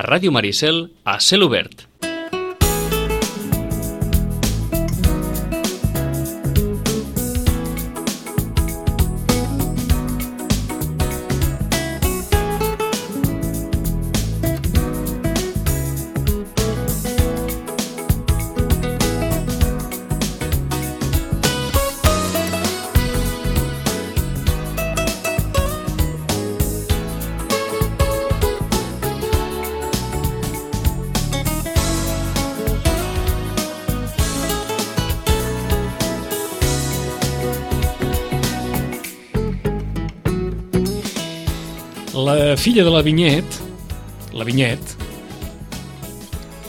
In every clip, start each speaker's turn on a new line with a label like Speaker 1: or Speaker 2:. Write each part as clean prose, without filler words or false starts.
Speaker 1: Ràdio Maricel, a cel obert.
Speaker 2: La filla de la Vinyet,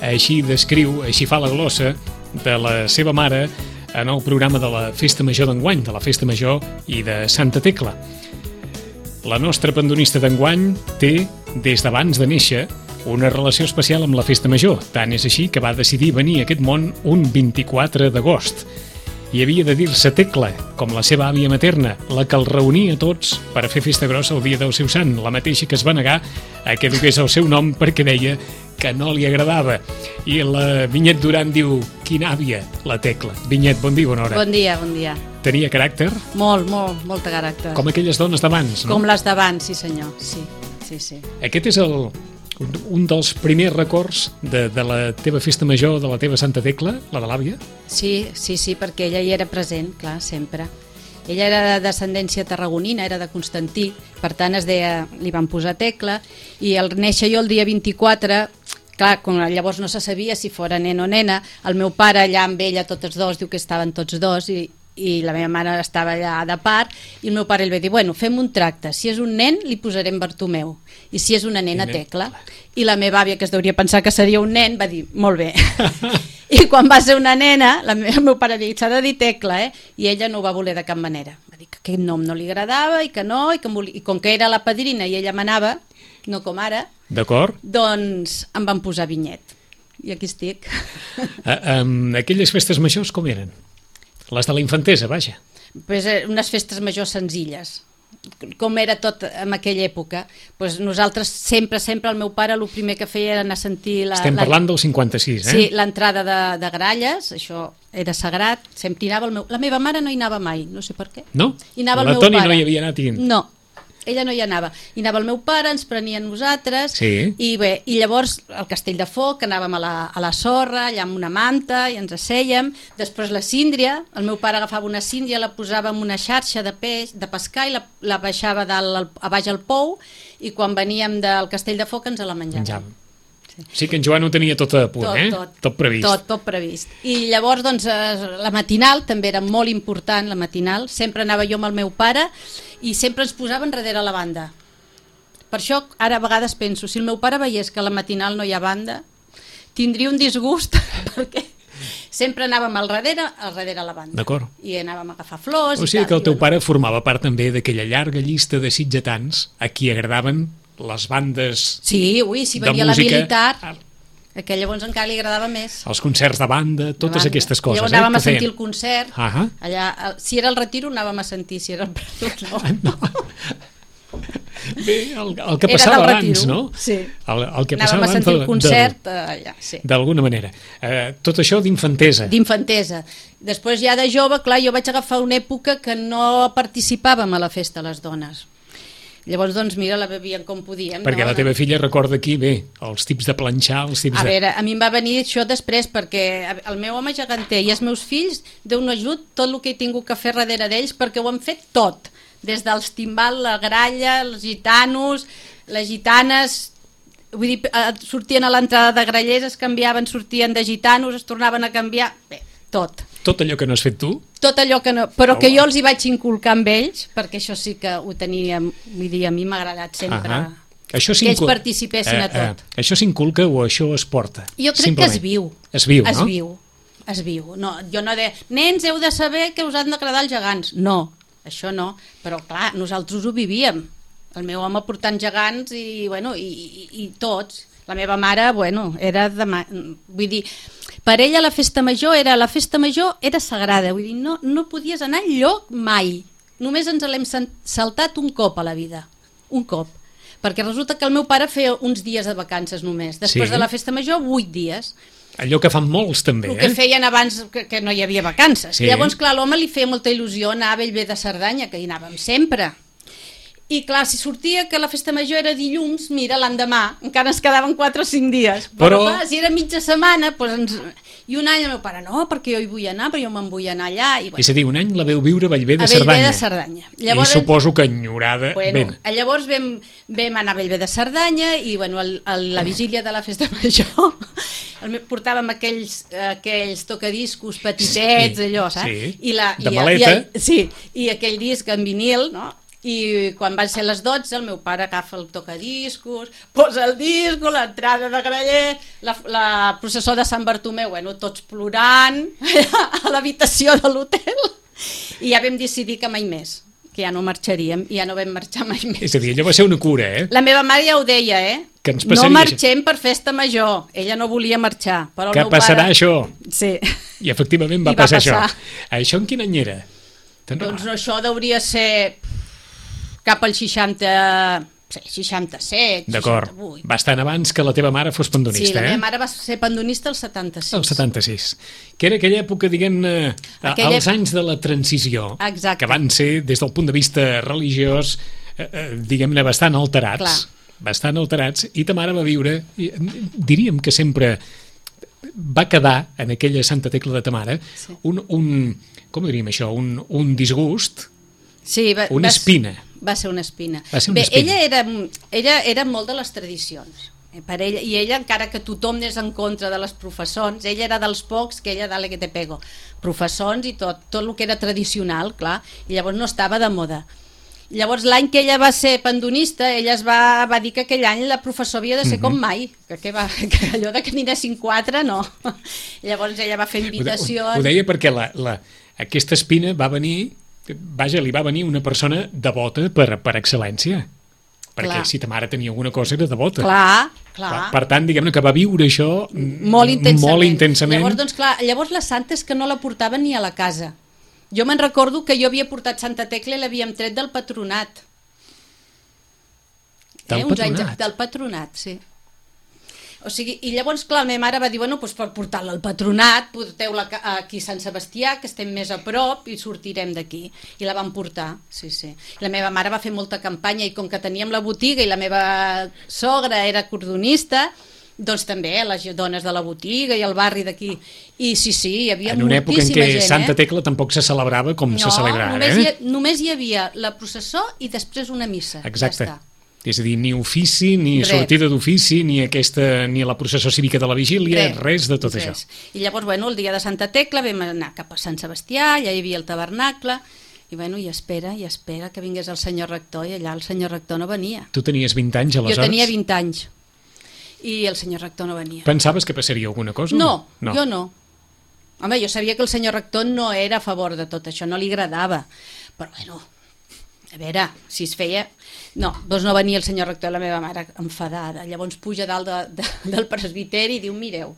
Speaker 2: així descriu, així fa la glossa de la seva mare en el programa de la Festa Major d'enguany, de la Festa Major i de Santa Tecla. La nostra pandonista d'enguany té, des d'abans de néixer, una relació especial amb la Festa Major. Tant és així que va decidir venir a aquest món un 24 d'agost. I havia de dir-se Tecla, com la seva àvia materna, la que els reunia a tots per a fer festa grossa el dia del seu sant, la mateixa que es va negar a que dugués el seu nom perquè deia que no li agradava. I la Vinyet Duran diu, quina àvia, la Tecla. Vinyet, bon dia, bona hora.
Speaker 3: Bon dia, bon dia.
Speaker 2: Tenia caràcter?
Speaker 3: Molt de caràcter.
Speaker 2: Com aquelles dones d'abans, no?
Speaker 3: Com les d'abans, sí senyor, sí.
Speaker 2: Aquest és un dels primers records de la teva festa major, de la teva Santa Tecla, la de l'àvia?
Speaker 3: Sí, perquè ella hi era present, clar, sempre. Ella era de descendència tarragonina, era de Constantí, per tant li van posar Tecla, i al néixer jo el dia 24, clar, llavors no se sabia si fora nen o nena, el meu pare allà amb ella tots dos, diu que estaven tots dos, i la meva mare estava allà de part, i el meu pare li va dir, bueno, fem un tracte, si és un nen li posarem Bartomeu, i si és una nena Tecla. I la meva àvia, que es deuria pensar que seria un nen, va dir, molt bé. I quan va ser una nena, el meu pare li va dir, s'ha de dir Tecla, i ella no ho va voler de cap manera. Va dir que aquest nom no li agradava, i que no, i com que era la padrina i ella manava, no com ara, doncs em van posar Vinyet. I aquí estic.
Speaker 2: Aquelles festes majors com eren? Les de la infantesa, vaja.
Speaker 3: Pues unes festes majors senzilles, com era tot en aquella època. Pues nosaltres sempre, el meu pare el primer que feia era anar a sentir...
Speaker 2: Estem parlant del 56, eh?
Speaker 3: Sí, l'entrada de gralles, això era sagrat, sempre hi anava el meu... La meva mare no hi anava mai, no sé per què.
Speaker 2: No?
Speaker 3: Hi anava
Speaker 2: la
Speaker 3: el meu
Speaker 2: Toni
Speaker 3: pare.
Speaker 2: No hi havia anat?
Speaker 3: No, ella no hi anava. Hi anava el meu pare, ens prenia nosaltres,
Speaker 2: sí.
Speaker 3: i llavors al Castell de Foc anàvem a la sorra, allà amb una manta, i ens assèiem. Després la síndria, el meu pare agafava una síndria, la posava en una xarxa de pescar i la baixava a baix al pou, i quan veníem del Castell de Foc ens la menjàvem.
Speaker 2: Sí que en Joan ho tenia tot a punt, tot previst.
Speaker 3: Tot previst. I llavors, doncs, la matinal també era molt important, la matinal. Sempre anava jo amb el meu pare i sempre ens posaven darrere la banda. Per això, ara a vegades penso, si el meu pare veiés que a la matinal no hi ha banda, tindria un disgust, perquè sempre anàvem al darrere a la banda.
Speaker 2: D'acord.
Speaker 3: I anàvem a agafar flors.
Speaker 2: O sigui que el teu pare formava part també d'aquella llarga llista de sitgetans a qui agradaven les bandes
Speaker 3: sí, si venia la militar, que llavors encara li agradava més.
Speaker 2: Els concerts de banda, totes aquestes coses.
Speaker 3: Llavors anàvem a sentir el concert,
Speaker 2: allà,
Speaker 3: si era el retiro anàvem a sentir, si era el perdut no.
Speaker 2: Bé, el que passava abans, no?
Speaker 3: Sí,
Speaker 2: el que passava
Speaker 3: anàvem a sentir el concert allà, sí.
Speaker 2: D'alguna manera. Tot això d'infantesa.
Speaker 3: D'infantesa. Després ja de jove, clar, jo vaig agafar una època que no participàvem a la festa les dones. Llavors, doncs, mira, la bevien com podíem.
Speaker 2: Perquè la teva filla recorda aquí, bé, els tips de planxar, els tips de...
Speaker 3: A veure, a mi em va venir això després, perquè el meu home geganter i els meus fills, Déu no ajut tot el que he tingut que fer darrere d'ells, perquè ho han fet tot. Des dels timbal, la gralla, els gitanos, les gitanes... Vull dir, sortien a l'entrada de grallers, es canviaven, sortien de gitanos, es tornaven a canviar... Bé, tot.
Speaker 2: Tot allò que no has fet tu?
Speaker 3: Tot allò que no... Però que jo els hi vaig inculcar amb ells, perquè això sí que ho tenia... Vull dir, a mi m'ha agradat sempre que ells participessin a tot.
Speaker 2: Això s'inculca o això es porta?
Speaker 3: Jo crec que es viu.
Speaker 2: Es viu, no?
Speaker 3: Es viu. No, jo no de... Nens, heu de saber que us han d'agradar els gegants. No, això no. Però, clar, nosaltres ho vivíem. El meu home portant gegants i, bueno, i tots. La meva mare, bueno, era de... Vull dir, per ella la festa major era sagrada. Vull dir, no podies anar enlloc mai. Només ens l'hem saltat un cop a la vida. Un cop. perquè resulta que el meu pare feia uns dies de vacances només. Després de la festa major, 8 dies.
Speaker 2: Allò que fan molts, també,
Speaker 3: El que feien abans, que no hi havia vacances.
Speaker 2: Sí.
Speaker 3: Llavors, clar, l'home li feia molta il·lusió anar a Bellver de Cerdanya, que hi anàvem sempre. I clar, si sortia que la festa major era dilluns, mira, l'endemà, encara ens quedaven 4 o 5 dies. Però clar, si era mitja setmana, doncs I un any el meu pare, no, perquè jo hi vull anar, però jo me'n vull anar allà. I, bueno,
Speaker 2: és a dir, un any la veu viure a Bellver de Cerdanya.
Speaker 3: A Bellver de Cerdanya.
Speaker 2: Llavors, i suposo que enyorada...
Speaker 3: Bueno, llavors vam anar a Bellver de Cerdanya i bueno, la vigília de la festa major portàvem aquells tocadiscos petitets, allò, saps?
Speaker 2: Sí, de maleta.
Speaker 3: I aquell disc en vinil, no? I quan van ser les 12 el meu pare agafa el tocadiscos, posa el disco, l'entrada de Graller, la processó de Sant Bartomeu, bueno, tots plorant a l'habitació de l'hotel, i ja vam decidir que mai més, que ja no marxaríem, i ja no vam marxar mai més.
Speaker 2: És a dir, allò va ser una cura, La
Speaker 3: meva mare ja ho deia,
Speaker 2: que ens passaria...
Speaker 3: No marxem per festa major. Ella no volia marxar, però el
Speaker 2: meu pare... Que passarà això?
Speaker 3: Sí.
Speaker 2: I efectivament va passar això. Això en quin any era?
Speaker 3: Doncs no, això hauria ser... cap al 67,
Speaker 2: d'acord,
Speaker 3: 68.
Speaker 2: Bastant abans que la teva mare fos pandonista,
Speaker 3: Sí, la meva mare va ser pandonista el 76.
Speaker 2: El 76, que era aquella època, diguem-ne, als anys de la transició,
Speaker 3: exacte,
Speaker 2: que van ser, des del punt de vista religiós, diguem-ne, bastant alterats.
Speaker 3: Clar.
Speaker 2: Bastant alterats, i ta mare va viure, diríem que sempre va quedar en aquella Santa Tecla de ta mare,
Speaker 3: sí,
Speaker 2: com diríem això, un disgust,
Speaker 3: sí,
Speaker 2: una espina.
Speaker 3: Va ser una espina.
Speaker 2: Bé,
Speaker 3: ella era molt de les tradicions. Per ella, i ella, encara que tothom és en contra de les professons, ella era dels pocs que ella dale que te pego. Professons i tot el que era tradicional, clar, i llavors no estava de moda. Llavors l'any que ella va ser pandonista, ella va dir que aquell any la professor havia de ser com mai, que allò de que n'hi anessin 4, no. Llavors ella va fer invitacions...
Speaker 2: Ho deia perquè aquesta espina va venir... Vaja, li va venir una persona devota per excel·lència. Perquè si ta mare tenia alguna cosa era devota.
Speaker 3: Clar.
Speaker 2: Per tant, diguem-ne que va viure això
Speaker 3: molt intensament.
Speaker 2: Llavors,
Speaker 3: doncs clar, la santa és que no la portava ni a la casa. Jo me'n recordo que jo havia portat Santa Tecla i l'havíem tret del patronat. Del patronat, sí. O sigui, i llavors, clar, la meva mare va dir, bueno, doncs per portar-la al patronat, porteu-la aquí a Sant Sebastià, que estem més a prop, i sortirem d'aquí. I la vam portar, sí. La meva mare va fer molta campanya, i com que teníem la botiga, i la meva sogra era cordonista, doncs també les dones de la botiga i el barri d'aquí. I sí, hi havia moltíssima gent. En una època en què
Speaker 2: Santa Tecla tampoc se celebrava com se celebra ara.
Speaker 3: Només hi havia la processó i després una missa.
Speaker 2: Exacte. Ja està. És a dir, ni ofici, ni sortida d'ofici, ni la processó cívica de la vigília, res de tot això.
Speaker 3: I llavors, bueno, el dia de Santa Tecla vam anar cap a Sant Sebastià, ja hi havia el tabernacle, i bueno, i espera que vingués el senyor rector, i allà el senyor rector no venia.
Speaker 2: Tu tenies 20 anys, aleshores?
Speaker 3: Jo tenia 20 anys, i el senyor rector no venia.
Speaker 2: Pensaves que passaria alguna cosa?
Speaker 3: No, jo no. Home, jo sabia que el senyor rector no era a favor de tot això, no li agradava, però bueno... A veure, si es feia... No, doncs no venia el senyor rector, la meva mare enfadada. Llavors puja dalt del presbiteri i diu, mireu,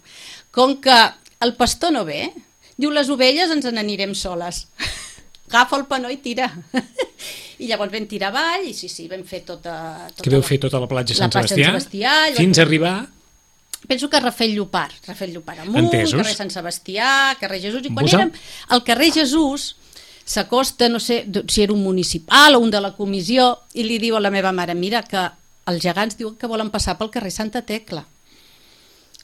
Speaker 3: com que el pastor no ve, diu, les ovelles ens n'anirem soles. Agafa el panó i tira. I llavors vam tirar avall i sí, vam fer tota...
Speaker 2: Que veu fer tota la platja Sant Sebastià? Fins a arribar...
Speaker 3: Penso que Rafel Llopart amunt, carrer Sant Sebastià, carrer Jesús, i quan érem al carrer Jesús... s'acosta, no sé si era un municipal o un de la comissió, i li diu a la meva mare, mira, que els gegants diuen que volen passar pel carrer Santa Tecla.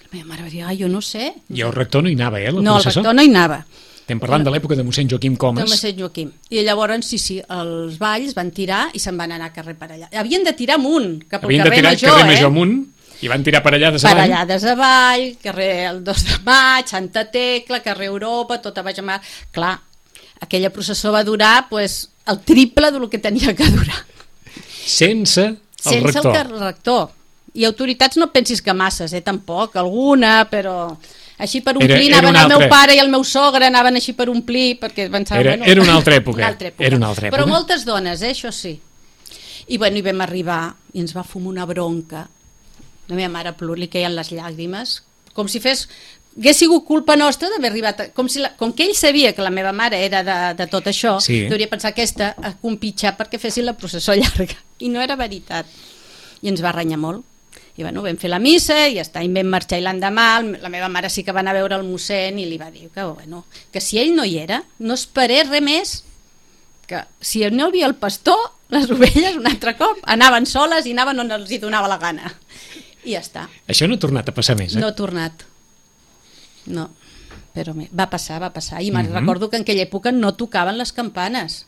Speaker 3: La meva mare va dir, jo no sé.
Speaker 2: I el rector no hi anava, la
Speaker 3: processó? No, el rector no hi anava.
Speaker 2: Estem parlant de l'època de mossèn Joaquim Comas.
Speaker 3: De mossèn Joaquim. I llavors, sí, els balls van tirar i se'n van anar a carrer per allà. Havien de tirar amunt, cap al carrer Major,
Speaker 2: carrer Major amunt, i van tirar parellades avall.
Speaker 3: Parellades avall, carrer el 2 de maig, Santa Tecla, carrer Europa, tota baix a mar. Clar, aquella processó va durar el triple del que tenia que durar.
Speaker 2: Sense el rector.
Speaker 3: Sense el rector. I autoritats no pensis que masses, tampoc, alguna, però així per omplir anaven el meu pare i el meu sogre, anaven així per omplir, perquè pensaven...
Speaker 2: Era una altra època.
Speaker 3: Però moltes dones, això sí. I bueno, hi vam arribar i ens va fumar una bronca. La meva mare li queien les llàgrimes, com si hagués sigut culpa nostra d'haver arribat... Com que ell sabia que la meva mare era de tot això, hauria pensat aquesta a compitxar perquè fessin la processó llarga. I no era veritat. i ens va renyar molt. I bueno, vam fer la missa i ja està, i vam marxar, i l'endemà la meva mare sí que va anar a veure el mossèn i li va dir que, bueno, que si ell no hi era, no esperés res més, que si no hi havia el pastor, les ovelles un altre cop anaven soles i anaven on els hi donava la gana. I ja està.
Speaker 2: Això no ha tornat a passar més,
Speaker 3: No ha tornat. No, però va passar. I me'n recordo que en aquella època no tocaven les campanes.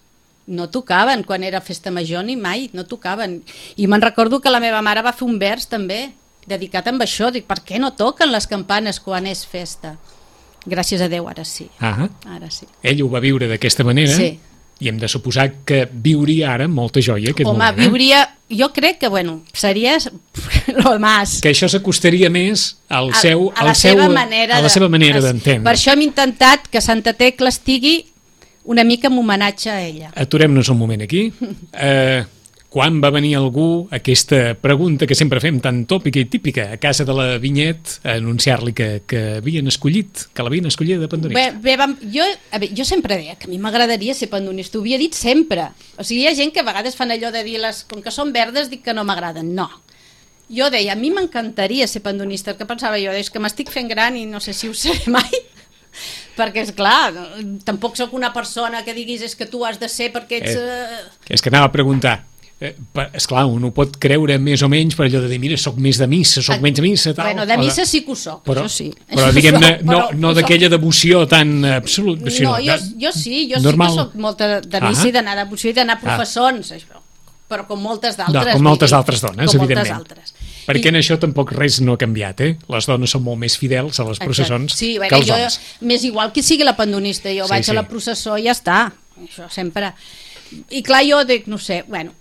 Speaker 3: No tocaven, quan era festa major ni mai, no tocaven. I me'n recordo que la meva mare va fer un vers també, dedicat amb això. Dic, per què no toquen les campanes quan és festa? Gràcies a Déu, ara sí. Ara sí.
Speaker 2: Ell ho va viure d'aquesta manera,
Speaker 3: sí.
Speaker 2: I hem de suposar que viuria ara molta joia aquest moment.
Speaker 3: Home, viuria... Jo crec que, bueno, seria lo más.
Speaker 2: Que això s'acostaria més a la
Speaker 3: seva manera
Speaker 2: d'entendre.
Speaker 3: Per això hem intentat que Santa Tecla estigui una mica en homenatge a ella.
Speaker 2: Aturem-nos un moment aquí. Quan va venir algú, aquesta pregunta que sempre fem tan tòpica i típica, a casa de la Vinyet, a anunciar-li que l'havien escollit de pandonista?
Speaker 3: Jo sempre deia que a mi m'agradaria ser pandonista, ho havia dit sempre. O sigui, hi ha gent que a vegades fan allò de dir, com que són verdes, dic que no m'agraden. No. Jo deia, a mi m'encantaria ser pandonista, el que pensava jo, és que m'estic fent gran i no sé si ho seré mai, perquè és clar, tampoc sóc una persona que diguis és que tu has de ser perquè ets...
Speaker 2: És que anava a preguntar, esclar, un ho pot creure més o menys per allò de dir, mira, soc més de missa, soc menys de missa, tal.
Speaker 3: Bueno, de missa sí que ho soc,
Speaker 2: però,
Speaker 3: això sí.
Speaker 2: Però diguem-ne, no d'aquella devoció tan absoluta.
Speaker 3: No, jo sí que soc molta de missa i d'anar a devoció i d'anar a professons, però com moltes d'altres.
Speaker 2: Com moltes d'altres dones, evidentment.
Speaker 3: Altres.
Speaker 2: Perquè en això tampoc res no ha canviat, Les dones són molt més fidels a les processons que els homes.
Speaker 3: M'és igual qui sigui la pandonista, jo vaig a la processó i ja està, això sempre. I clar, jo dic, no sé, bueno...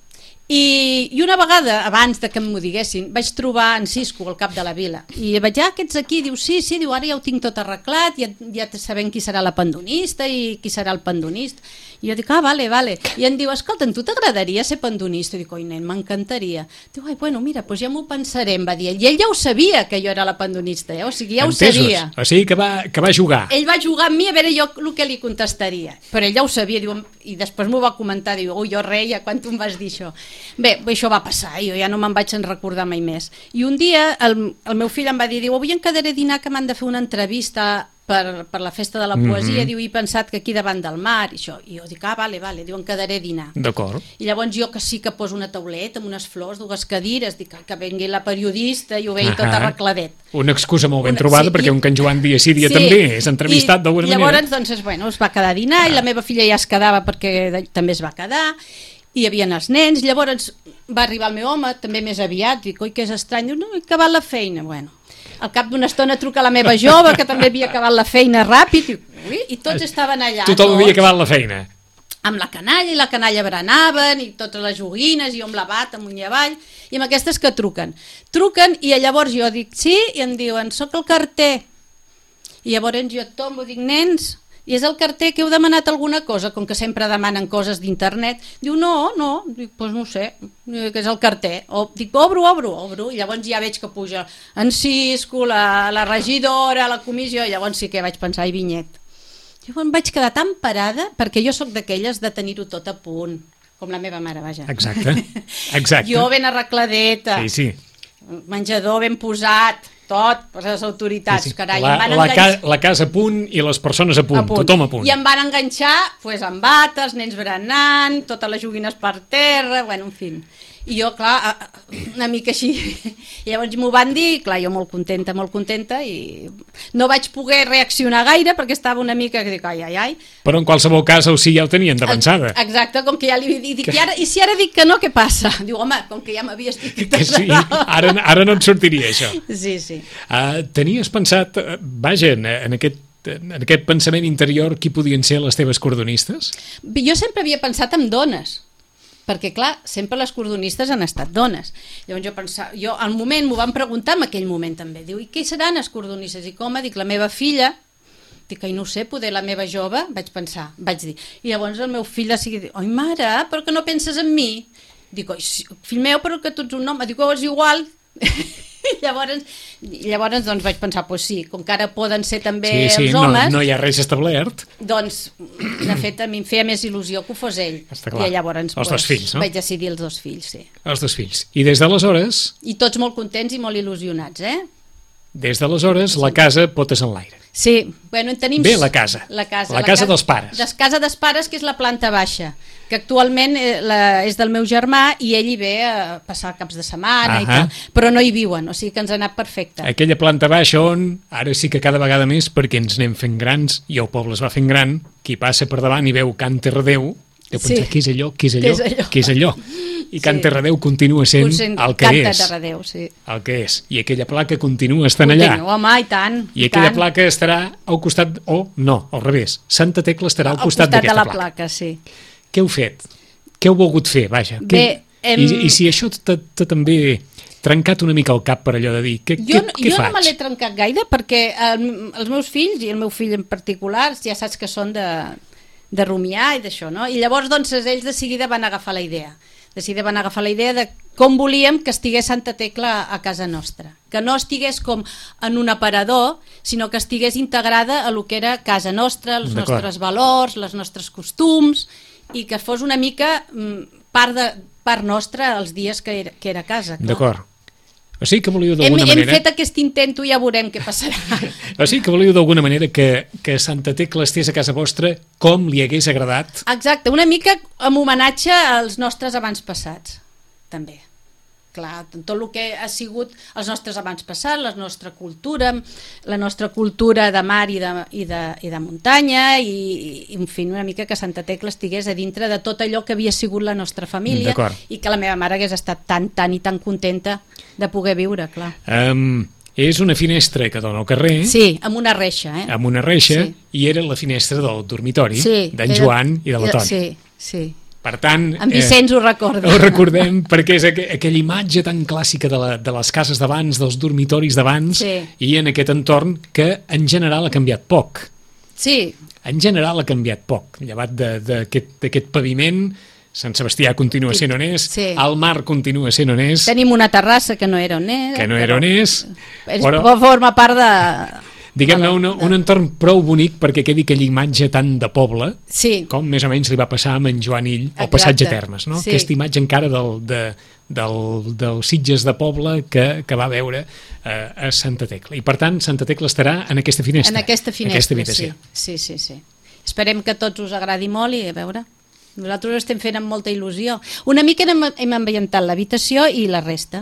Speaker 3: I una vegada, abans de que m'ho diguessin, vaig trobar en Cisco, el cap de la vila, i vaig, que ets aquí? Diu, sí, diu, ara ja ho tinc tot arreglat, ja sabem qui serà la pandonista i qui serà el pandonista. I jo dic, vale. I em diu, escolta, tu t'agradaria ser pandonista? I dic, oi, nen, m'encantaria. Diu, bueno, mira, doncs ja m'ho pensaré, em va dir ell. I ell ja ho sabia, que jo era la pandonista, o sigui, ja ho sabia.
Speaker 2: O sigui, que va jugar.
Speaker 3: Ell va jugar amb mi a veure jo el que li contestaria. Però ell ja ho sabia, diu, i després m'ho va comentar, diu, jo reia quan tu em vas dir això. Bé, això va passar, jo ja no me'n vaig recordar mai més. I un dia el meu fill em va dir, avui em quedaré a dinar que m'han de fer una entrevista per la festa de la poesia, diu, he pensat que aquí davant del mar, i això. I jo dic, vale, diu, em quedaré a dinar.
Speaker 2: D'acord.
Speaker 3: I llavors jo que sí que poso una tauleta amb unes flors, dues cadires, dic que vengui la periodista i ho veia tot arregladet.
Speaker 2: Una excusa molt ben trobada, perquè un Can Joan dia sí, dia també és entrevistat d'alguna manera.
Speaker 3: Llavors, doncs, bueno, es va quedar a dinar i la meva filla ja es quedava perquè també es va quedar, i hi havia els nens, llavors va arribar el meu home, també més aviat, dic, oi, que és estrany, diu, no, he acabat la feina, bueno. Al cap d'una estona truca la meva jove, que també havia acabat la feina ràpid, i tots estaven allà.
Speaker 2: Tothom havia acabat la feina.
Speaker 3: Amb la canalla, i la canalla berenaven, i totes les joguines, i jo amb la bata, amunt i avall, i amb aquestes que truquen. Truquen, i llavors jo dic, sí, i em diuen, soc el carter. I llavors jo tombo, dic, nens, i és el carter que heu demanat alguna cosa, com que sempre demanen coses d'internet. Diu, no, dic, doncs no sé, que és el carter. Dic, obro, i llavors ja veig que puja en Cisco, la regidora, la comissió, i llavors sí que vaig pensar, ai, Vinyet. Llavors em vaig quedar tan parada, perquè jo sóc d'aquelles de tenir-ho tot a punt, com la meva mare, vaja.
Speaker 2: Exacte.
Speaker 3: Jo ben arregladeta, menjador ben posat, tot, per les autoritats, carai.
Speaker 2: La casa a punt i les persones a punt, tothom a punt.
Speaker 3: I em van enganxar amb bates, nens berenant, totes les joguines per terra, bueno, en fi. I jo, clar, una mica així, i llavors m'ho van dir, clar, jo molt contenta, i no vaig poder reaccionar gaire perquè estava una mica que dic, ai.
Speaker 2: Però en qualsevol cas, o sigui, ja ho tenien d'avançada.
Speaker 3: Exacte, com que ja li dic, i si ara dic que no, què passa? Diu, home, com que ja m'havies dit
Speaker 2: que sí, ara no et sortiria això.
Speaker 3: Sí.
Speaker 2: Tenies pensat, vaja, en aquest pensament interior, qui podien ser les teves cordonistes?
Speaker 3: Jo sempre havia pensat en dones, perquè clar, sempre les cordonistes han estat dones. Llavors jo pensava, al moment m'ho van preguntar en aquell moment també, diu, i què seran les cordonistes? I com? Dic, la meva filla, dic, no sé, poder la meva jove, vaig dir, i llavors el meu fill diu, oi mare, però que no penses en mi? Dic, oi, fill meu, però que tu ets un home, dic, és igual. Llavors doncs vaig pensar, doncs sí, com que ara poden ser també els
Speaker 2: no,
Speaker 3: homes,
Speaker 2: no hi ha res establert.
Speaker 3: doncs de fet a mi em feia més il·lusió que ho fos ell.
Speaker 2: Està clar.
Speaker 3: I llavors
Speaker 2: Els dos fills, no?
Speaker 3: vaig decidir els 2 fills, sí.
Speaker 2: Els 2 fills. I des d'aleshores,
Speaker 3: I tots molt contents i molt il·lusionats,
Speaker 2: la casa potes en l'aire.
Speaker 3: Sí, bueno, en tenim...
Speaker 2: Bé, la casa.
Speaker 3: La casa
Speaker 2: dels pares.
Speaker 3: La casa dels pares, que és la planta baixa, que actualment és del meu germà i ell hi ve a passar caps de setmana i tal, però no hi viuen, o sigui que ens ha anat perfecte.
Speaker 2: Aquella planta baixa on, ara sí que cada vegada més, perquè ens anem fent grans i el poble es va fent gran, qui passa per davant i veu Can Terradeu, deu pensar, què és allò? Què és allò? I Can Terradeu continua sent el que és.
Speaker 3: Terradeu, sí.
Speaker 2: El que és. I aquella placa continua estant allà.
Speaker 3: Home, i tant.
Speaker 2: I aquella placa estarà al costat, o no, al revés. Santa Tecla estarà al costat d'aquesta placa.
Speaker 3: De la placa, sí.
Speaker 2: Què heu fet? Què heu volgut fer, vaja? I si això t'ha també trencat una mica el cap per allò de dir, què faig?
Speaker 3: Jo no me l'he trencat gaire perquè els meus fills, i el meu fill en particular, ja saps que són de rumiar i d'això, no? I llavors doncs ells de seguida van agafar la idea. De com volíem que estigués Santa Tecla a casa nostra. Que no estigués com en un aparador, sinó que estigués integrada a lo que era casa nostra, els nostres valors, els nostres costums, i que fos una mica part nostra els dies que era a casa. Clar.
Speaker 2: D'acord. O sigui que volíeu d'alguna manera...
Speaker 3: Hem fet aquest intento i ja veurem què passarà.
Speaker 2: O sigui que volíeu d'alguna manera que Santa Tecla estés a casa vostra com li hagués agradat.
Speaker 3: Exacte, una mica amb homenatge als nostres abans passats, també. Clar, tot el que ha sigut els nostres abans passats, la nostra cultura de mar i de muntanya, i en fi, una mica que Santa Tecla estigués a dintre de tot allò que havia sigut la nostra família, i que la meva mare hagués estat tan i tan contenta de poder viure, clar.
Speaker 2: És una finestra que dona al carrer.
Speaker 3: Sí, amb una reixa.
Speaker 2: Amb una reixa, i era la finestra del dormitori d'en Joan i de la Toni.
Speaker 3: Sí.
Speaker 2: Per tant...
Speaker 3: En Vicenç ho recorda.
Speaker 2: Ho recordem perquè és aquella imatge tan clàssica de les cases d'abans, dels dormitoris d'abans, i en aquest entorn que en general ha canviat poc.
Speaker 3: Sí.
Speaker 2: En general ha canviat poc, llevat d'aquest paviment. Sant Sebastià continua sent on és, el mar continua sent on és.
Speaker 3: Tenim una terrassa que no era on és.
Speaker 2: Però
Speaker 3: forma part de...
Speaker 2: Diguem-ne, un entorn prou bonic perquè quedi aquella imatge tan de poble, com més o menys li va passar amb en Joanill al Passatge Termes, no? Aquesta imatge encara del Sitges de poble que va veure a Santa Tecla. I per tant, Santa Tecla estarà en aquesta finestra.
Speaker 3: En aquesta finestra, sí. Esperem que a tots us agradi molt i a veure... Nosaltres ho estem fent amb molta il·lusió. Una mica hem ambientat l'habitació i la resta,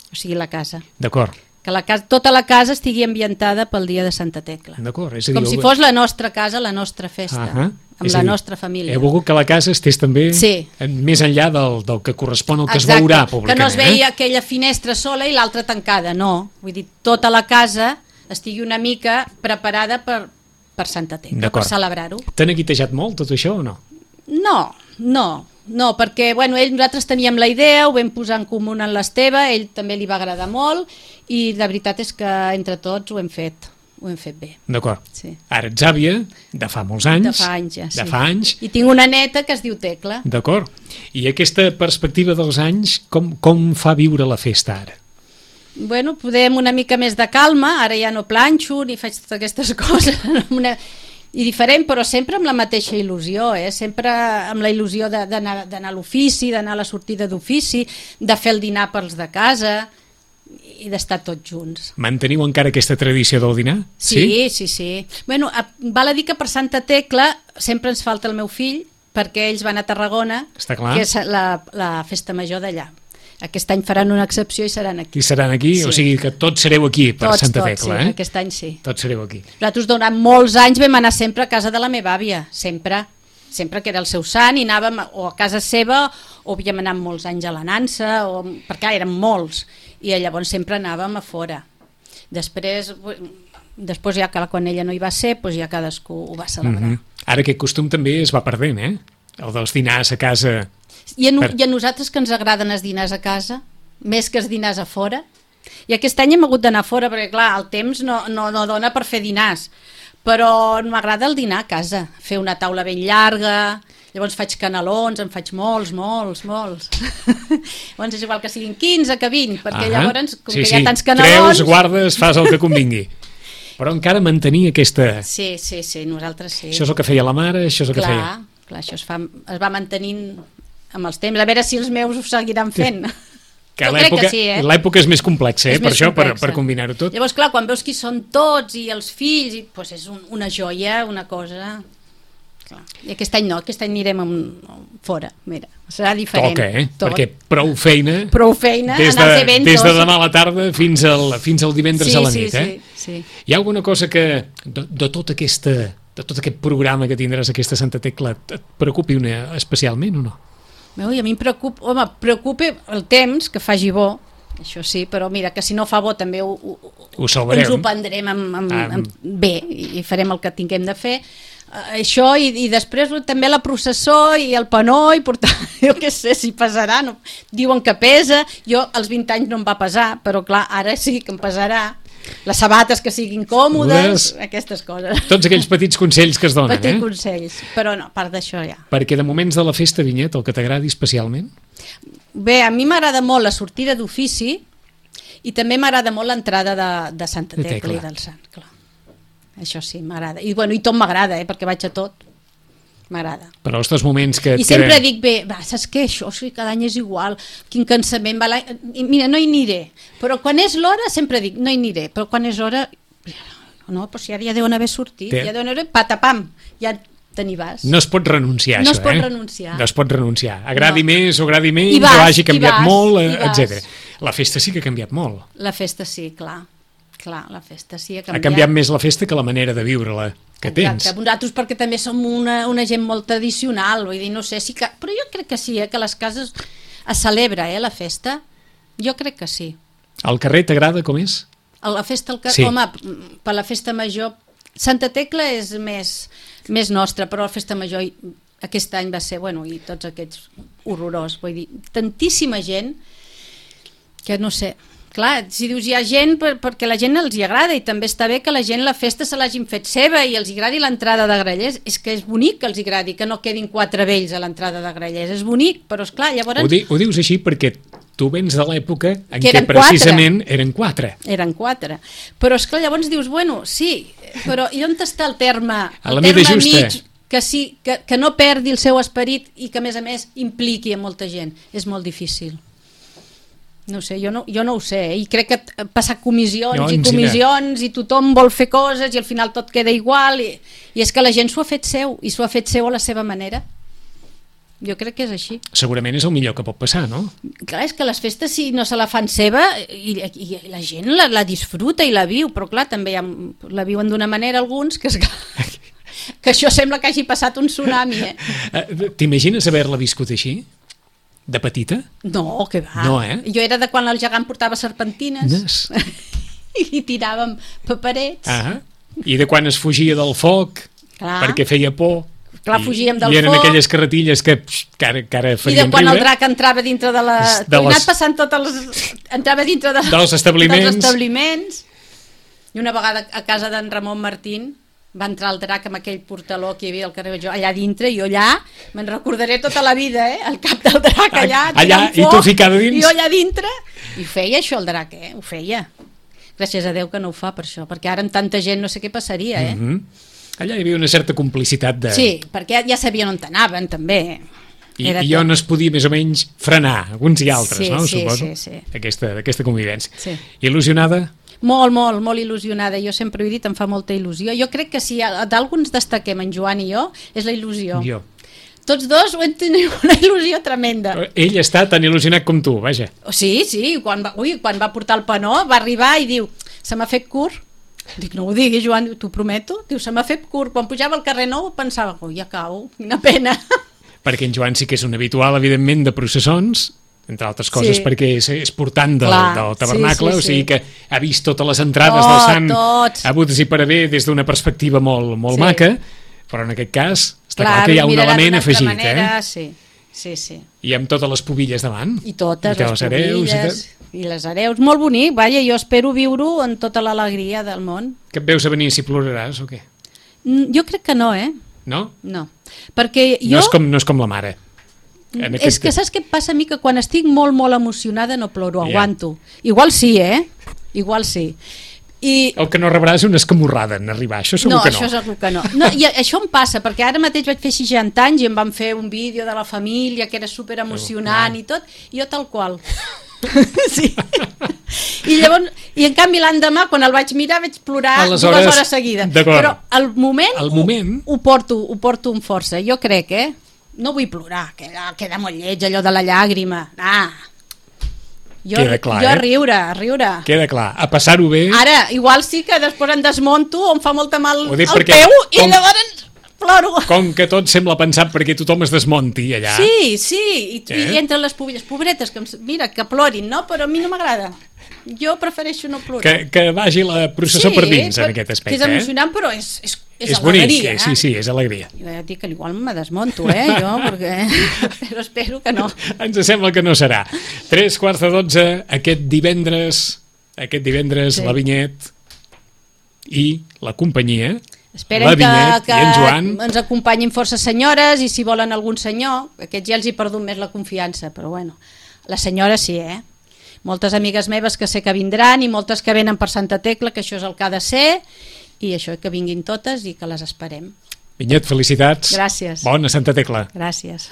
Speaker 3: o sigui, la casa.
Speaker 2: D'acord.
Speaker 3: Que tota la casa estigui ambientada pel dia de Santa Tecla.
Speaker 2: D'acord.
Speaker 3: Com si fos la nostra casa, la nostra festa, amb la nostra família.
Speaker 2: He volgut que la casa estés també més enllà del que correspon al que es veurà públicament.
Speaker 3: Que no es veia aquella finestra sola i l'altra tancada, no. Vull dir, tota la casa estigui una mica preparada per Santa Tecla, per celebrar-ho.
Speaker 2: T'ha neguitejat molt tot això o no?
Speaker 3: No, perquè nosaltres teníem la idea, ho vam posar en comú en l'Esteve, ell també li va agradar molt i la veritat és que entre tots ho hem fet bé.
Speaker 2: D'acord. Ara ets àvia de fa molts anys.
Speaker 3: De fa anys, ja, sí.
Speaker 2: De fa anys.
Speaker 3: I tinc una neta que es diu Tecla.
Speaker 2: D'acord. I aquesta perspectiva dels anys, com fa viure la festa ara?
Speaker 3: Bueno, podem una mica més de calma, ara ja no planxo ni faig totes aquestes coses, i diferent, però sempre amb la mateixa il·lusió, sempre amb la il·lusió d'anar a l'ofici, d'anar a la sortida d'ofici, de fer el dinar pels de casa i d'estar tots junts.
Speaker 2: Manteniu encara aquesta tradició del dinar?
Speaker 3: Sí. Bueno, val a dir que per Santa Tecla sempre ens falta el meu fill, perquè ells van a Tarragona, que és la festa major d'allà. Aquest any faran una excepció i seran aquí.
Speaker 2: O sigui que tots sereu aquí per Santa Tecla,
Speaker 3: sí, aquest any sí.
Speaker 2: Tots sereu aquí.
Speaker 3: Nosaltres durant molts anys vam anar sempre a casa de la meva àvia, sempre que era el seu sant, i anàvem o a casa seva o havíem anat molts anys a la Nansa, perquè érem molts, i llavors sempre anàvem a fora. Després ja quan ella no hi va ser, doncs ja cadascú ho va celebrar.
Speaker 2: Ara aquest costum també es va perdent, el dels dinars a casa...
Speaker 3: I a nosaltres que ens agraden els dinars a casa, més que els dinars a fora, i aquest any hem hagut d'anar a fora perquè clar, el temps no dona per fer dinars, però m'agrada el dinar a casa, fer una taula ben llarga, llavors faig canelons, en faig molts. Llavors és igual que siguin 15 que 20, perquè llavors, com que hi ha tants canelons...
Speaker 2: Treus, guardes, fas el que convingui. Però encara mantenir aquesta...
Speaker 3: Sí, nosaltres sí.
Speaker 2: Això és el que feia la mare, això és el que feia...
Speaker 3: Clar, això es va mantenint amb els temps, a veure si els meus ho seguiran fent.
Speaker 2: Que l'època és més complexa, per això, per combinar-ho tot.
Speaker 3: Llavors, clar, quan veus qui són tots i els fills, doncs és una joia, una cosa... Clar. I aquest any no, aquest any anirem fora, mira, serà diferent.
Speaker 2: Toca, perquè prou feina
Speaker 3: des
Speaker 2: de demà a la tarda fins al divendres a la nit.
Speaker 3: Sí.
Speaker 2: Hi ha alguna cosa que de tot aquest programa que tindràs aquesta Santa Tecla et preocupi especialment o no?
Speaker 3: A mi em preocupa el temps que faci bo, això sí, però mira, que si no fa bo també ens ho prendrem bé i farem el que tinguem de fer. Això i després també la processó i el panó i portar, jo què sé si pesarà, no, diuen que pesa, jo als 20 anys no em va pesar, però clar, ara sí que em pesarà, les sabates que siguin còmodes, aquestes coses.
Speaker 2: Tots aquells petits consells que es donen.
Speaker 3: Petits consells, però no, a part d'això ja.
Speaker 2: Perquè de moments de la festa, Vinyet, el que t'agradi especialment?
Speaker 3: Bé, a mi m'agrada molt la sortida d'ofici i també m'agrada molt l'entrada de Santa Tecla i del Sant, clar. Això sí, m'agrada. I tot m'agrada, perquè vaig a tot. M'agrada.
Speaker 2: Però els teus moments que...
Speaker 3: I sempre dic, saps què? Això cada any és igual. Quin cansament va l'any... Mira, no hi aniré. Però quan és l'hora, sempre dic, no hi aniré. Però quan és hora... No, però si ja deuen haver sortit. Ja deuen haver... Patapam! Ja te n'hi vas.
Speaker 2: No es pot renunciar,
Speaker 3: no això, No
Speaker 2: es pot renunciar. Agradi més o agradi menys, o hagi canviat molt, etc. La festa sí que ha canviat molt.
Speaker 3: La festa sí, clar. Clar, la festa sí ha canviat.
Speaker 2: Ha canviat més la festa que la manera de viure-la que tens.
Speaker 3: Exacte, nosaltres perquè també som una gent molt tradicional, vull dir, no sé si... Però jo crec que sí, que a les cases es celebra, la festa. Jo crec que sí.
Speaker 2: Al carrer t'agrada com és?
Speaker 3: La festa al carrer, sí. Home, per la festa major... Santa Tecla és més nostra, però la festa major aquest any va ser, i tots aquests horrorós, vull dir, tantíssima gent que no sé... Clar, si dius hi ha gent perquè la gent els hi agrada i també està bé que la gent la festa se l'hagin fet seva i els hi agradi l'entrada de Grallers, és que és bonic que els hi agradi, que no quedin 4 vells a l'entrada de Grallers, és bonic, però esclar, llavors...
Speaker 2: Ho dius així perquè tu vens de l'època en què precisament eren 4.
Speaker 3: Eren 4, però esclar, llavors dius, sí, però i on està el terme?
Speaker 2: A la mida justa.
Speaker 3: Mig, que no perdi el seu esperit i que a més impliqui a molta gent, és molt difícil. No sé, jo no ho sé, i crec que passa comissions i comissions i tothom vol fer coses i al final tot queda igual i és que la gent s'ho ha fet seu i s'ho ha fet seu a la seva manera. Jo crec que és així.
Speaker 2: Segurament és el millor que pot passar, no?
Speaker 3: Clar, és que les festes si no se la fan seva i la gent la disfruta i la viu, però clar, també la viuen d'una manera alguns que això sembla que hagi passat un tsunami.
Speaker 2: T'imagines haver-la viscut així? De petita?
Speaker 3: No, que va.
Speaker 2: No,
Speaker 3: Jo era de quan el gegant portava serpentines i tiràvem paperets.
Speaker 2: I de quan es fugia del foc perquè feia por.
Speaker 3: Clar, fugíem del foc.
Speaker 2: I eren aquelles carretilles que ara farien riure.
Speaker 3: I de quan el drac entrava dintre de la... He anat passant entrava dintre dels establiments. I una vegada a casa d'en Ramon Martín va entrar el drac amb aquell portaló que hi havia al carrer Major, allà dintre, i jo allà me'n recordaré tota la vida, el cap del drac allà
Speaker 2: i tu ficada dins,
Speaker 3: i jo allà dintre, i ho feia això el drac, ho feia, gràcies a Déu que no ho fa per això, perquè ara amb tanta gent no sé què passaria.
Speaker 2: Allà hi havia una certa complicitat
Speaker 3: Sí, perquè ja sabien on anaven també,
Speaker 2: i on es podia més o menys frenar uns i altres, no? Suposo, aquesta convivència. Il·lusionada?
Speaker 3: Molt il·lusionada, jo sempre ho he dit, em fa molta il·lusió. Jo crec que si d'alguns destaquem, en Joan i jo, és la il·lusió. Tots dos ho hem tingut una il·lusió tremenda.
Speaker 2: Ell està tan il·lusionat com tu, vaja.
Speaker 3: Sí, quan va portar el panó va arribar i diu, se m'ha fet curt. Dic, no ho diguis, Joan, t'ho prometo. Diu, se m'ha fet curt. Quan pujava al carrer Nou pensava, ja cau, quina pena.
Speaker 2: Perquè en Joan sí que és un habitual, evidentment, de processons, entre altres coses perquè és portant del tabernacle, o sigui que ha vist totes les entrades del sant hagudes i per haver des d'una perspectiva molt maca, però en aquest cas està clar que hi ha un element afegit.
Speaker 3: Sí.
Speaker 2: I amb totes les pubilles davant.
Speaker 3: I totes les pubilles i les hereus. Molt bonic, jo espero viure-ho en tota l'alegria del món.
Speaker 2: Que et veus a venir si ploraràs o què?
Speaker 3: Jo crec que no,
Speaker 2: No?
Speaker 3: No. Perquè jo...
Speaker 2: No és com la mare.
Speaker 3: És que saps què passa a mi? Que quan estic molt, molt emocionada no ploro, aguanto. Igual sí, Igual sí.
Speaker 2: El que no rebrà és una escamorrada en arribar, això segur que no.
Speaker 3: No, això segur que no. I això em passa, perquè ara mateix vaig fer 60 anys i em van fer un vídeo de la família que era super emocionant i tot, i jo tal qual. Sí. I llavors, en canvi l'endemà quan el vaig mirar vaig plorar 2 hores seguides. Però al moment ho porto amb força, jo crec, no vull plorar, queda molt lleig allò de la llàgrima.
Speaker 2: Queda clar,
Speaker 3: jo a riure.
Speaker 2: Queda clar, a passar-ho bé.
Speaker 3: Ara, igual sí que després em desmonto o em fa molta mal el peu i llavors ploro.
Speaker 2: Com que tot sembla pensat perquè tothom es desmonti allà.
Speaker 3: Sí, i entre les pubilles, pobretes, mira, que plorin, no? Però a mi no m'agrada. Jo prefereixo no plorar.
Speaker 2: Que vagi la processó per dins en aquest aspecte.
Speaker 3: Que és emocionant, però és
Speaker 2: bonic,
Speaker 3: alegria.
Speaker 2: Sí, és alegria.
Speaker 3: Jo ja dic que igual me desmonto, jo, perquè... però espero que no.
Speaker 2: Ens sembla que no serà. 3:45, aquest divendres, sí. La Vinyet i la companyia,
Speaker 3: Esperem
Speaker 2: la Vinyet
Speaker 3: que
Speaker 2: i en Joan.
Speaker 3: ens acompanyin força senyores i si volen algun senyor, aquests ja els hi perdut més la confiança, però bueno, les senyores sí, moltes amigues meves que sé que vindran i moltes que venen per Santa Tecla, que això és el que ha de ser, i això, que vinguin totes i que les esperem.
Speaker 2: Vinyet, felicitats.
Speaker 3: Gràcies.
Speaker 2: Bona Santa Tecla.
Speaker 3: Gràcies.